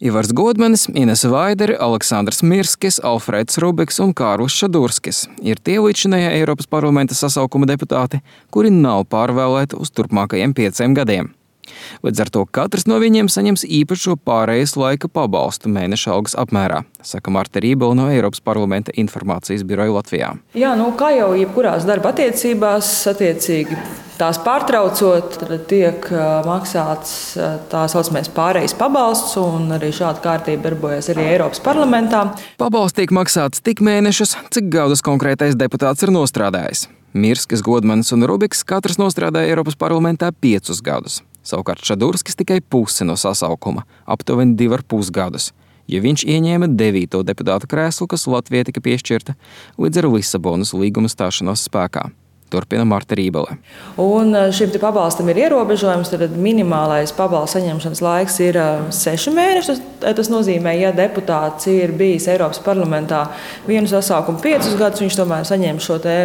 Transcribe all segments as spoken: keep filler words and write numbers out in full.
Ivars Godmanis, Inese Vaidere, Aleksandrs Mirskis, Alfrēds Rubiks un Kārlis Šadurskis ir tie līdzinējie Eiropas parlamenta sasaukuma deputāti, kuri nav pārvēlēti uz turpmākajiem pieciem gadiem. Līdz ar to katrs no viņiem saņems īpašo pārejas laika pabalstu mēneša algas apmērā, saka Marta Rībele no Eiropas parlamenta informācijas biroja Latvijā. Jā, nu, kā jau jebkurās darba attiecībās, attiecīgi tās pārtraucot, tad tiek maksāts tā saucamais pārejas pabalsts, un arī šāda kārtība darbojas arī Eiropas parlamentā. Pabalsts tiek maksāts tik mēnešus, cik gadus konkrētais deputāts ir nostrādājis. Mirskis, Godmanis un Rubiks katrs nostrādāja Eiropas parlamentā piecus gadus. Savukārt Šadurskis tikai pusi no sasaukuma, aptuveni divi ar pus gadus, jo viņš ieņēma devīto deputāta krēslu, kas Latvijai tika piešķirta līdz ar Lisabonas līguma stāšanos spēkā. Turpina Marta Rībele. Un šim pabalstam ir ierobežojums, tad minimālais pabalsta saņemšanas laiks ir seši mēneši. Tas nozīmē, ja deputāts ir bijis Eiropas parlamentā vienu sasaukumu piecus gadus, viņš tomēr saņem šo te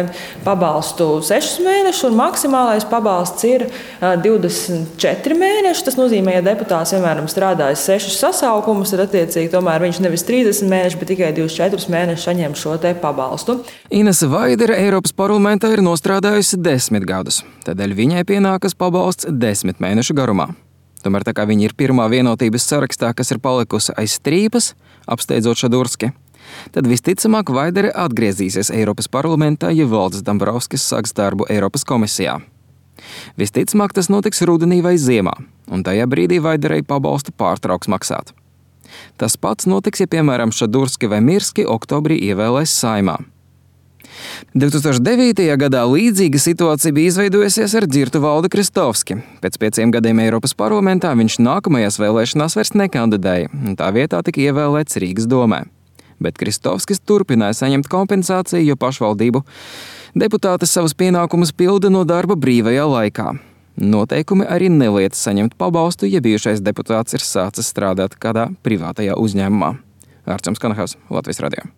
pabalstu sešus mēnešus, un maksimālais pabalsts ir divdesmit četri mēneši. Tas nozīmē, ja deputāts vienmēr strādājis sešus sasaukumus, tad attiecīgi tomēr viņš nevis trīsdesmit mēneši, bet tikai divdesmit četrus mēnešus saņem šo te pabalstu. Inese Vaidere Eiropas parlamentā ir nostrādājusi desmit gadus, tādēļ viņai pienākas pabalsts desmit mēnešu garumā. Tomēr tā kā viņa ir pirmā vienotības sarakstā, kas ir palikusi aiz strīpas, apsteidzot Šadurski, tad visticamāk Vaidere atgriezīsies Eiropas parlamentā, ja Valdis Dombrovskis sāks darbu Eiropas komisijā. Visticamāk tas notiks rudenī vai ziemā, un tajā brīdī Vaiderei pabalstu pārtrauks maksāt. Tas pats notiks, ja piemēram Šadurski vai Mirski oktobrī ievēlēs Saeimā. divi tūkstoši devītajā gadā līdzīga situācija bija izveidojusies ar Dzirtu Valdi Kristovski. Pēc pieciem gadiem Eiropas parlamentā viņš nākamajās vēlēšanās vairs nekandidēja, un tā vietā tika ievēlēts Rīgas domē. Bet Kristovskis turpināja saņemt kompensāciju, jo pašvaldību deputāti savus pienākumus pilda no darba brīvajā laikā. Noteikumi arī neliedz saņemt pabalstu, ja bijušais deputāts ir sācis strādāt kādā privātajā uzņēmumā. Ārčams Kanahaus, Latvijas radio.